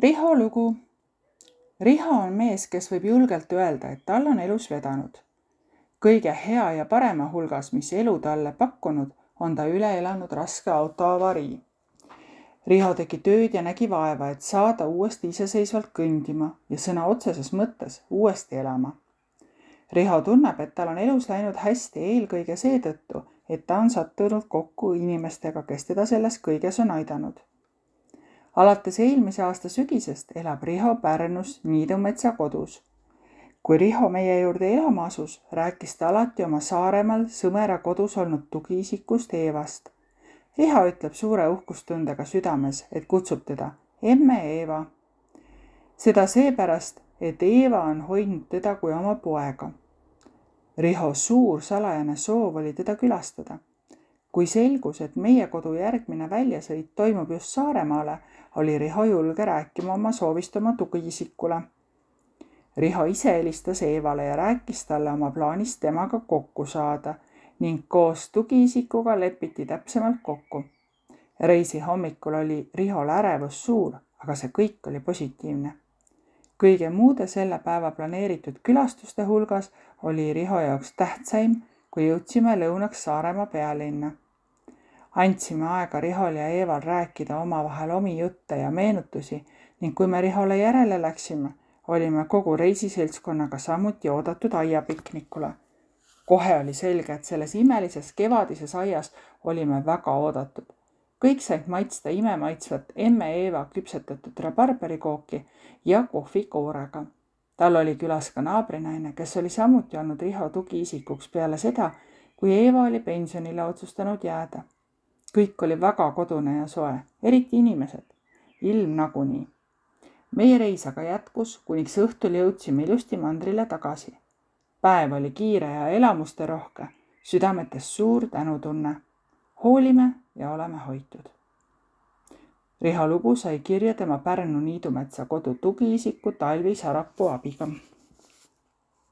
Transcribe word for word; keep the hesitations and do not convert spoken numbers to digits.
Riho lugu. Riho on mees, kes võib julgelt öelda, et tal on elus vedanud. Kõige hea ja parema hulgas, mis elu talle pakkunud, on ta üle elanud raske autoavarii. Riho tegi tööd ja nägi vaeva, et saada uuesti iseseisvalt kõndima ja sõna otseses mõttes uuesti elama. Riho tunneb, et tal on elus läinud hästi eelkõige seetõttu, et ta on sattunud kokku inimestega, kes teda selles kõiges on aidanud. Alates eelmise aasta sügisest elab Riho Pärnus Niidumetsa kodus. Kui Riho meie juurde elama asus, rääkis ta alati oma Saaremaal Sõmera kodus olnud tugiisikust Eevast. Riho ütleb suure uhkustundega südames, et kutsub teda emme Eeva. Seda seepärast, et Eeva on hoidnud teda kui oma poega. Riho suur salajane soov oli teda külastada. Kui selgus, et meie kodu järgmine väljasõit toimub just Saaremaale, oli Riho julge rääkima oma soovist oma tugiisikule. Riho ise helistas Eevale ja rääkis talle oma plaanist temaga kokku saada ning koos tugiisikuga lepiti täpsemalt kokku. Reisi hommikul oli Rihol ärevus suur, aga see kõik oli positiivne. Kõige muude selle päeva planeeritud külastuste hulgas oli Riho jaoks tähtsaim, kui jõudsime lõunaks Saaremaa pealinna. Andsime aega Rihol ja Eeval rääkida omavahel omi jutte ja meenutusi ning kui me Rihole järele läksime, olime kogu reisiseltskonnaga samuti oodatud aiapiknikule. Kohe oli selge, et selles imelises kevadises aias olime väga oodatud. Kõik said maitsta imemaitsvat emme Eeva küpsetatud rabarberikooki ja kohvi koorega. Tal oli külas ka naabrinaine, kes oli samuti olnud Riho tugiisikuks peale seda, kui Eeva oli pensionile otsustanud jääda. Kõik oli väga kodune ja soe, eriti inimesed. Ilm nagunii. Meie reis aga jätkus, kuniks õhtul jõudsime ilusti mandrile tagasi. Päev oli kiire ja elamuste rohke, südametes suur tänutunne. Hoolime ja oleme hoitud. Riho lugu sai kirja tema Pärnu Niidumetsa kodu tugiisiku Talvi Sarapuu abiga.